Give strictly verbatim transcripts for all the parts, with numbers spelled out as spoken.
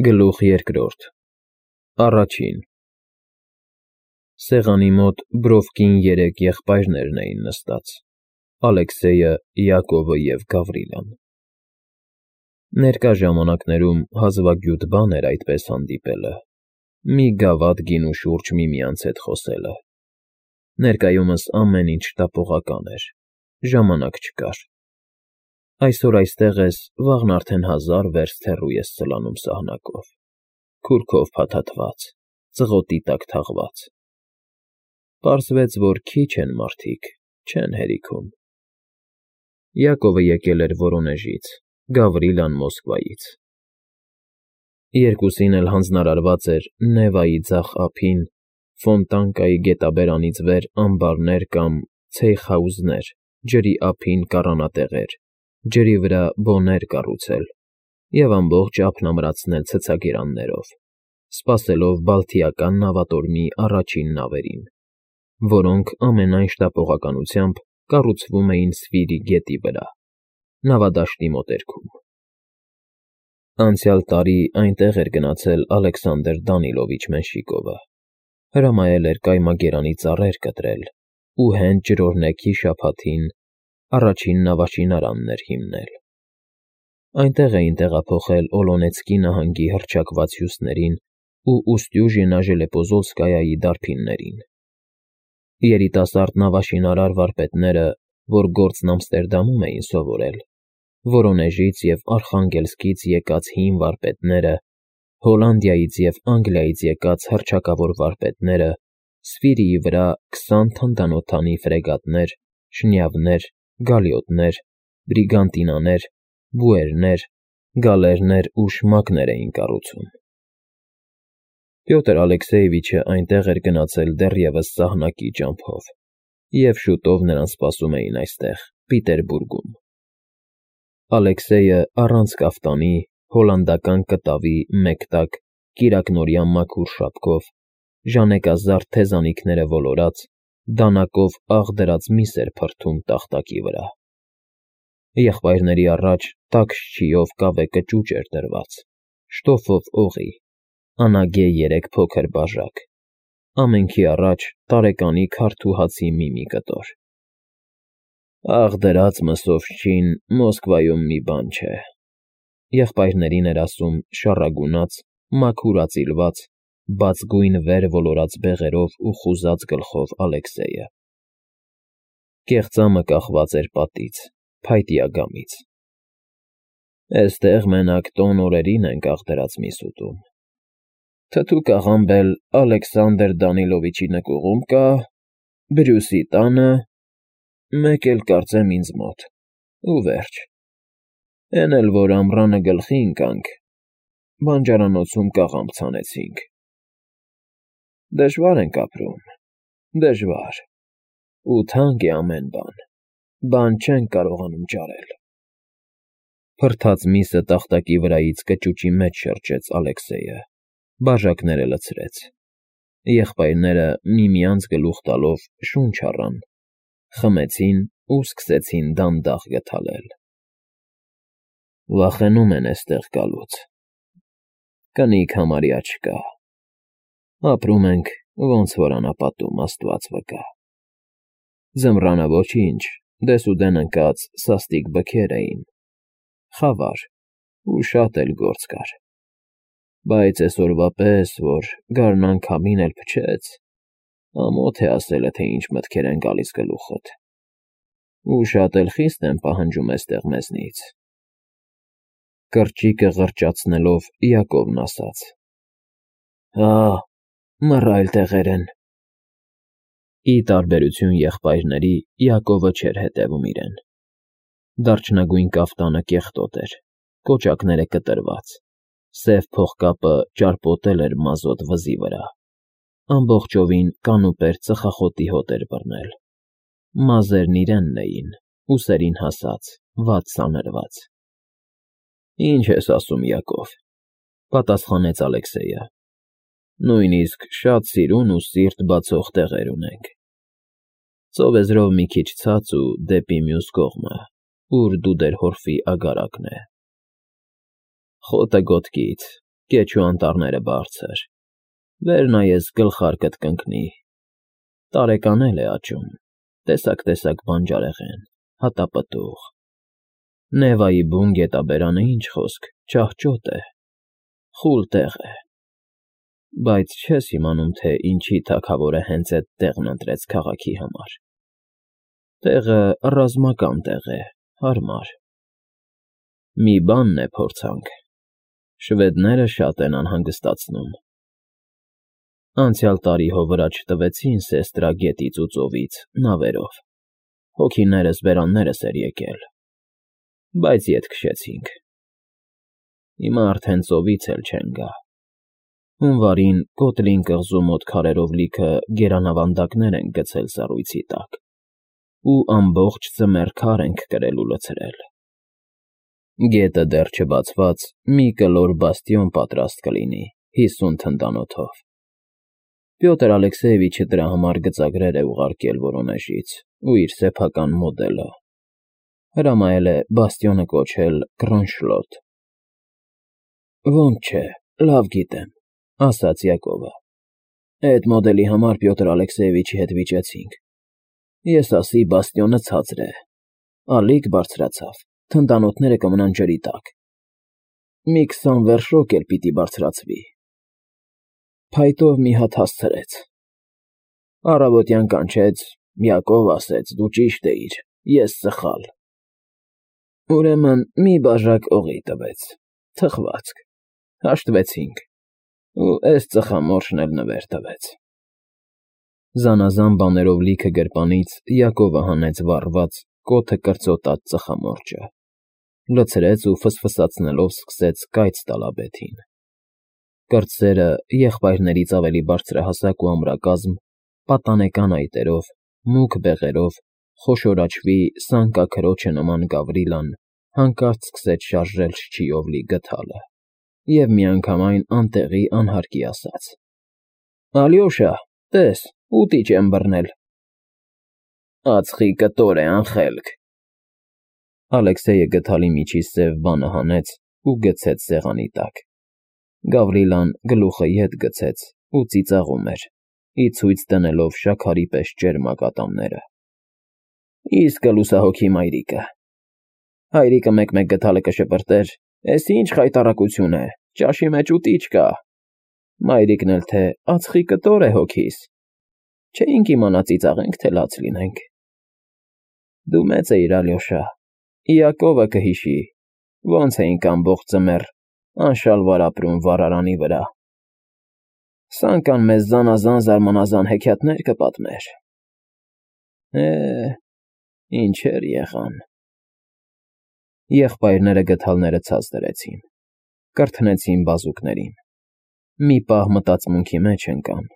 Գլուխ երկրորդ Առաջին Սեղանի մոտ բռովկին երեք եղբայրներն էին նստած. Ալեքսեյը, Յակովը և Գավրիլան. Ներկա ժամանակներում հազվագյուտ բան էր այդպես հանդիպելը, մի գավաթ գինու շուրջ միմյանց հետ խոսելը. ներկայումս ամեն ինչ շտապողական էր, ժամանակ չկար. այսօր այստեղ ես, վաղն արդեն հազար վերստ հեռու ես սլանում սահնակով, քուրքով փաթաթված, ծղոտի տակ թաղված. պարզվեց, որ քիչ են մարդիկ, չեն հերիքում. Յակովը եկել էր Վորոնեժից, Գավրիլան՝ Մոսկվայից. երկուսին էլ հանձնարարված էր Նևայի ձախ ափին, Ֆոնտանկայի գետաբերանից վեր ամբարներ կամ ցեյխհաուզներ, ջրի ափին կառանատեղեր, ջրի վրա բոներ կառուցել և ամբողջ ափն ամրացնել ցցագերաններով, սպասելով Բալթիական նավատորմի առաջին նավերին, որոնք ամենայն շտապողականությամբ կառուցվում էին Սվիրի գետի վրա, նավադաշտի մոտերքում։ Անցյալ տարի այնտեղ էր գնացել Ալեքսանդր Դանիլովիչ Մենշիկովը, հրամայել էր կայմագերանի ծառեր կտրել ու հենց ջրօրհնեքի շաբաթին առաջին նավաշինարանն էր հիմնել։ Այնտեղ էին տեղափոխել Օլոնեցկի նահանգի հռչակված հյուսներին ու Ուսტյուժինա Ժելեպոզովսկայայի դարբիններին։ Երիտասարդ նավաշինարար վարպետները, որ գործն Ամստերդամում էին սովորել, Վորոնեժից և Արխանգելսկից եկած հին վարպետները, Հոլանդիայից և Անգլիայից եկած հռչակավոր վարպետները, Սվիրիի վրա քսան թնդանոթանի ֆրեգատներ, շնյավներ, գալիոտներ, բրիգանտինաներ, բուերներ, գալերներ ու շմակներ էին կառուցում։ Պյոտր Ալեքսեյևիչը այնտեղ էր գնացել դեռևս սահնակի ճամփով, և շուտով նրան սպասում էին այստեղ, Պիտերբուրգում։ Ալեքսեյը առանց կաֆտանի, հոլանդական կտավի մեկ տակ, կիրակնօրյա մաքուր շապկով, ժանեկազարդ թեզանիքները ոլորած, դանակով աղ դրած միս էր փրթում տախտակի վրա։ Եղբայրների առաջ տաք շչիով կավե կճուճ էր դրված, շտոֆով օղի, անագե երեք փոքր բաժակ, ամենքի առաջ տարեկանի քարդ ու հացի մի֊մի կտոր։ «Աղ դրած մսով շչին Մոսկվայում մի բան չէ», եղբայրներին էր ասում շառագունած, մաքուր ածիլված, բացգույն վեր ոլորած բեղերով ու խուզած գլխով Ալեքսեյը։ Կեղծամը կախված էր պատից, փայտյա գամից։ «Էստեղ մենակ տոն օրերին ենք աղ դրած միս ուտում։ Թթուկ աղամբ էլ Ալեքսանդր Դանիլովիչի նկուղում կա, Բրյուսի տանը, մեկ էլ կարծեմ ինձ մոտ, ու վերջ։ Էն էլ որ ամռանը գլխի ընկանք, բանջարանոցում կաղամբ ցանեցինք։ Դժվար ենք ապրում, դժվար, ու թանկ է ամեն բան, բան չենք կարողանում ճարել»։ Փրթած միսը տախտակի վրայից կճուճի մեջ շրջեց Ալեքսեյը, բաժակները լցրեց։ Եղբայրները միմյանց գլուխ տալով շունչ առան, խմեցին ու սկսեցին դանդաղ գթալել։ «Վախենում են էստեղ գալուց, կնիկ համարյա չկա, ապրում ենք ոնց որ անապատում, աստված վկա։ Ձմռանը ոչինչ, դեսուդեն ընկած սաստիկ բքեր էին, խավար ու շատ էլ գործ կար, բայց էսօրվա պես, որ գարնան քամին էլ փչեց, ամոթ է ասելը, թե ինչ մտքեր են գալիս գլուխդ, ու շատ էլ խիստ են պահանջում էստեղ մեզնից», կրճիկը ղրճացնելով Յակովն ասաց։ «Հա, մռայլ տեղեր են»։ Ի տարբերություն եղբայրների, Յակովը չէր հետևում իրեն։ Դարչնագույն կաֆտանը կեղտոտ էր, կոճակները կտրված, սև փողկապը ճարպոտել էր մազոտ վզի վրա, ամբողջովին կանուպեր ծխախոտի հոտ էր բռնել, մազերն իրենն էին, ուսերին հասած, վատ սանրված։ «Ինչ ես ասում, Յակով», պատասխանեց Ալեքսեյը, «նույնիսկ շատ սիրուն ու սիրտ բացող տեղեր ունենք։ Ծովեզրով մի քիչ ցած ու դեպի մյուս կողմը, ուր Դուդերհորֆի ագարակն է։ Խոտը գոտկից, Կեչու անտառները բարձր, վեր նայես գլխարկդ կընկնի, տարեկան էլ է աճում, տեսակ֊տեսակ բանջարեղեն, հատապտուղ, Նևայի բուն գետաբերանը ինչ խոսք, ճահճոտ է, խուլ տեղ է, բայց չես իմանում, թե ինչի թագավորը հենց էդ տեղն ընտրեց քաղաքի համար, տեղը ռազմական տեղ է, հարմար, մի բանն է փորձանք, շվեդները շատ են անհանգստացնում, անցյալ տարի հո վրա չտվեցին Սեստրա գետից ու ծովից նավերով, հոգիներս բերաններս էր եկել, բայց ետ քշեցինք, հիմա արդեն ծովից էլ չեն գա, հունվարին Կոտրին կղզու մոտ քարերով լիքը գերանավանդակներ ենք գցել սառույցի տակ ու ամբողջ ձմեռ քար ենք կրել ու լցրել, գետը դեռ չբացված մի կլոր բաստիոն պատրաստ կլինի հիսուն թնդանոթով, Պյոտր Ալեքսեևիչը դրա համար գծագրեր է ուղարկել Վորոնեժից ու իր սեփական մոդելը, հրամայել է բաստիոնը կոչել Կրոնշլոտ։ Ոնց չէ, լավ գիտեմ, ասաց Յակովը, այդ մոդելի համար Պյոտր Ալեքսեևիչի հետ վիճեցինք, ես ասի բաստիոնը ցածր է, ալիք բարձրացավ, թնդանոթները կմնան ջրի տակ, մի քսան վերշոկ էլ պիտի բարձրացվի, փայտով մի հատ հասցրեց, առավոտյան կանչեց, Յակով ասեց, դու ճիշտ էիր, ես սխալ, ուրեմն մի բաժակ օղի տվեց, թխվածք, հաշտվեցինք, ու էս ծխամորշն էլ նվեր տվեց։ Զանազան բաներով լիքը գրպանից Յակովը հանեց վառված, կոթը կրծոտած ծխամորճը, լցրեց ու ֆսֆսացնելով սկսեց կայծ տալ աբեթին։ Կրտսերը եղբայրներից ավելի բարձրահասակ ու ամրակազմ, պատանեկան այտերով, մուգ բեղերով, խոշորաչվի սանկաքրոջը նման Գավրիլան հանկարծ սկսեց շարժել շչիով լի գդալը և միանգամայն անտեղի անհարկի ասաց. Ալյոշա, տես, ուտիչ եմ բռնել։ Ածխի կտոր է, անխելք։ Ալեքսեյը գդալի միջից սև բանը հանեց ու գցեց սեղանի տակ։ Գավրիլան գլուխը ետ գցեց ու ծիծաղում էր, ի ցույց դնելով շաքարի պես ջերմ ակատամները։ Իսկ լուսահոգի մայրիկը։ Հայրիկը մեկ-մեկ գդալը կշպրտեր, էս ինչ խայտառակություն է, ճաշի մեջ ուտիչ կա։ Մայրիկն էլ թե ածխի կտոր է հոգիս։ Չէինք իմանա ծիծաղենք, թե լաց լինենք։ Դու մեծ էիր, Ալյոշա, Յակովը կհիշի, ոնց էինք ամբողջ ձմեռ անշալվար ապրում վառարանի վրա։ Սանկան մեզ զանազան զարմանազան հեքիաթներ կպատմեր։ Է, ինչեր եղան։ Եղբայրները գդալները ցած դրեցին, կրթնեցին բազուկներին։ Մի պահ մտածմունքի մեջ ընկան,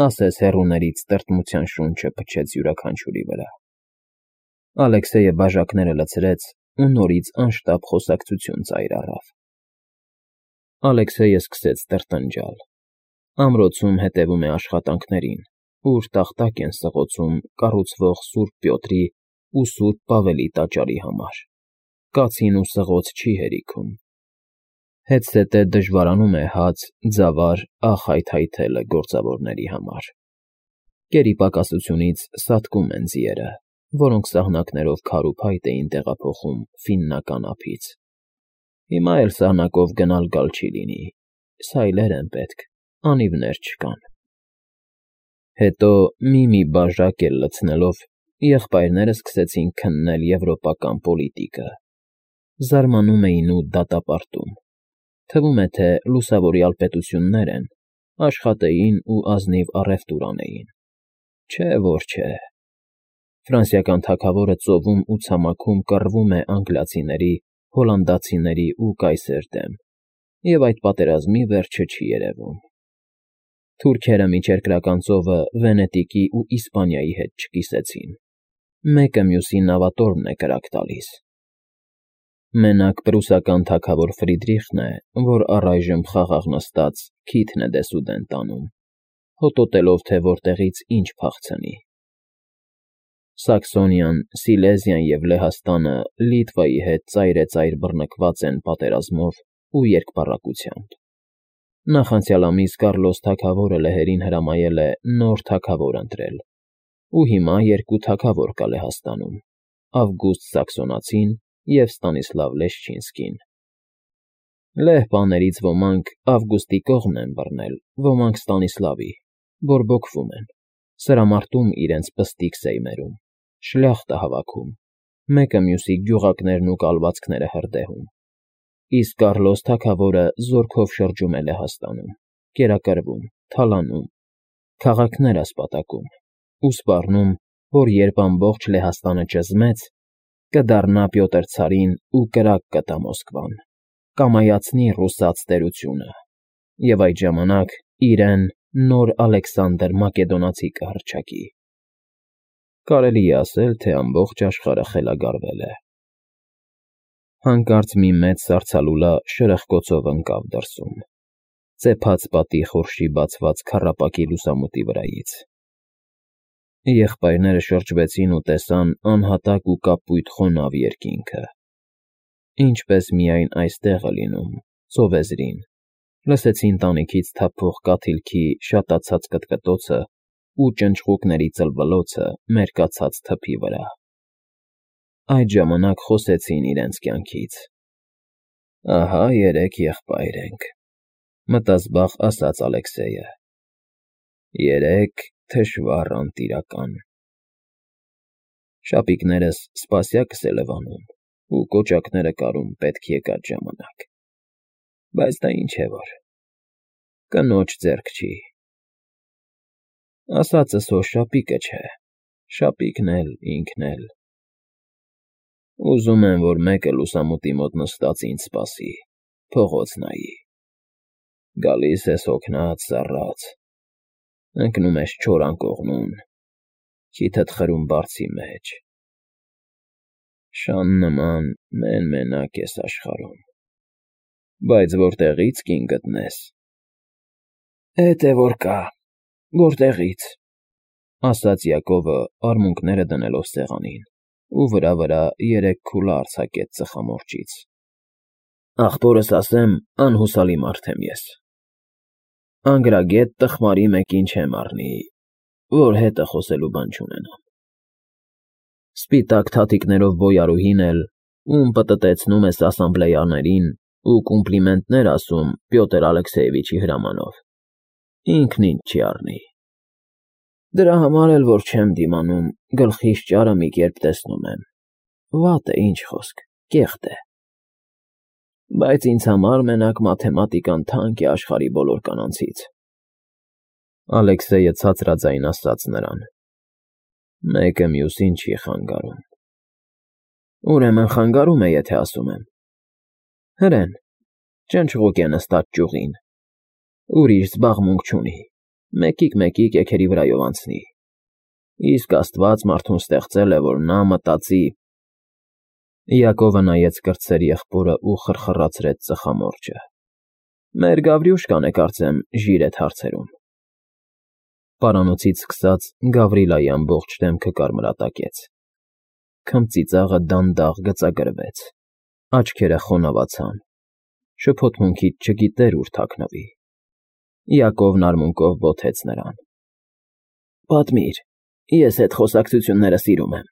ասես հեռուներից տրտմության շունչը փչեց յուրաքանչյուրի վրա։ Ալեքսեյը բաժակները լցրեց ու նորից անշտապ խոսակցություն ծայր առավ։ Ալեքսեյը սկսեց տրտնջալ։ Ամրոցում հետևում է աշխատանքներին, ուր տախտակ են սղոցում կառուցվող Սուրբ Պյոտրի ու Սուրբ Պավելի տաճարի համար։ Կացին ու սղոց չի հերիքում։ Հետզհետե դժվարանում է հաց, ձավար, աղ հայթայթելը գործավորների համար։ Կերի պակասությունից սատկում են ձիերը, որոնք սահնակներով քար ու փայտ էին տեղափոխում ֆիննական ափից։ Հիմա էլ սահնակով գնալ֊գալ չի լինի, սայլեր են պետք, անիվներ չկան։ Հետո մի-մի բաժակ էլ լցնելով եղբայրները սկսեցին քննել եվրոպական պոլիտիկը։ Զարմանում էին ու դատապարտում։ Թվում է, թե լուսավորյալ պետություններ են, աշխատեին ու ազնիվ առևտուր անեին։ Չէ, որ չէ։ Ֆրանսիական թագավորը ծովում ու ցամաքում կռվում է անգլիացիների, հոլանդացիների ու կայսեր դեմ, և այդ պատերազմի վերջը չի երևում։ Թուրքերը միջերկրական ծովը Վենետիկի ու Իսպանիայի հետ չկիսեցին։ Մեկը մյուսի նավատորմն է կրակ տալիս։ Մենակ պրուսական թագավոր Ֆրիդրիխն է, որ առայժմ խաղաղ նստած քիթն է դեսուդեն տանում, հոտոտելով, թե որտեղից ինչ փախցնի։ Սաքսոնիան, Սիլեզիան և Լեհաստանը Լիտվայի հետ ծայրեծայր բռնկված են պատերազմով ու երկպառակությամբ։ Նախանցյալ ամիս Կառլոս թագավորը լեհերին հրամայել է նոր թագավոր ընտրել, ու հիմա երկու թագավոր կա Լեհաստանում՝ Ավգուստ Սաքսոնացին և Ստանիսլավ Լեշչինսկին։ Լեհ պաներից ոմանք Ավգուստի կողմն են բռնել, ոմանք Ստանիսլավի, բորբոքվում են, սրամարտում իրենց պստիկ սեյմերում, շլյախտը հավաքում, մեկը մյուսի գյուղակներն ու կալվածքները հրդեհում։ Իսկ Կառլոս թագավորը զորքով շրջում է Լեհաստանում, կերակրվում, թալանում, քաղաքներ ասպատակում ու սպառնում, որ երբ ամբողջ Լեհաստանը ճզմեց, կդառնա Պյոտր ցարին ու կրակ կտա Մոսկվան, կամայացնի ռուսաց տերությունը, և այդ ժամանակ իրեն նոր Ալեքսանդր Մակեդոնացի կհռչակի։ Կարելի է ասել, թե ամբողջ աշխարհը խելագարվել է։ Հանկարծ մի մեծ սառցալուլա շրխկոցով ընկավ դրսում, ծեփած պատի խորշի բացված քառապակի լուսամուտի վրայից։ Եղբայրները շրջվեցին ու տեսան անհատակ ու կապույտ խոնավ երկինքը, ինչպես միայն այստեղ է լինում, ծովեզրին, լսեցին տանիքից թափվող կաթիլքի շատացած կտկտոցը ու ճնճղուկների ծլվլոցը մերկացած թփի վրա։ Այդ ժամանակ խոսեցին իրենց կյանքից. «Ահա երեք եղբայր ենք,֊ մտազբաղ ասաց Ալեքսեյը,֊ երեք թշվառ անտիրական։ Շապիկներս սպասյակս է լվանում ու կոճակները կարում պետք եկած ժամանակ, բայց դա ինչ է որ, կնոջ ձեռք չի։ Ասածս հո շապիկը չէ, շապիկն էլ, ինքն էլ։ Ուզում եմ, որ մեկը լուսամուտի մոտ նստած ինձ սպասի, փողոց նայի։ Գալիս ես հոգնած, սառած, ընկնում ես չոր անկողնուն, քիթդ խրում բարձի մեջ, շան նման մեն֊մենակ ես աշխարհում, բայց որտեղի՞ց կին գտնես»։ «Էդ է որ կա, որտեղի՞ց,֊ ասաց Յակովը, արմունկները դնելով սեղանին, ու վրա֊վրա երեք քուլա արձակեց ծխամորճից։ «Ախպորս ասեմ, անհուսալի մարդ եմ ես։ Անգրագետ տխմարի մեկին չեմ առնի, որ հետը խոսելու բան չունենամ։ Սպիտակ թաթիկներով բոյարուհին էլ, ում պտտեցնում ես ասամբլեաներին ու կոմպլիմենտներ ասում Պյոտր Ալեքսեյևիչի հրամանով, ինքն ինձ չի առնի։ Դրա համար էլ որ չեմ դիմանում, գլխիս ճարը մի կերպ տեսնում եմ, վատ է, ինչ խոսք, կեղտ է։ Բայց ինձ համար մենակ մաթեմատիկան թանկ է աշխարհի բոլոր կանանցից»։ Ալեքսեյը ցածրաձայն ասաց նրան. «Մեկը մյուսին չի խանգարում»։ «Ուրեմն խանգարում է, եթե ասում եմ։ Հրեն, ճնճղուկ է նստած ճյուղին, ուրիշ զբաղմունք չունի, մեկիկ֊մեկիկ էգերի վրայով անցնի, իսկ Աստված մարդուն ստեղծել է, որ նա մտածի…»։ Յակովը նայեց կրտսեր եղբորը ու խրխռացրեց ծխամորճը։ «Մեր Գավրյուշկան է, կարծեմ, ժիրդ հարցերում»։ Պարանոցից սկսած Գավրիլայի ամբողջ դեմքը կարմրատակեց, քմծիծաղը դանդաղ գծագրվեց, աչքերը խոնավացան, շփոթմունքից չգիտեր ուր թաքնվի։ Յակովն արմունկով բոթեց նրան. «Պատմիր, ես էդ խոսակցությունները սիրում եմ»։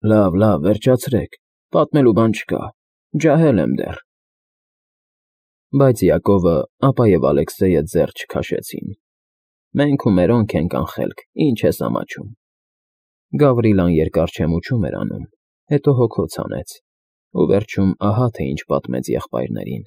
«Լավ, լավ, վերջացրեք, պատմելու բան չկա, ջահել եմ դեռ»։ Բայց Յակովը, ապա և Ալեքսեյը ձեռ չքաշեցին։ «Մենք ու մերոնք ենք, անխելք, ինչ ես ամաչում»։ Գավրիլան երկար չեմուչում էր անում, հետո հոգոց հանեց ու վերջում ահա թե ինչ պատմեց եղբայրներին։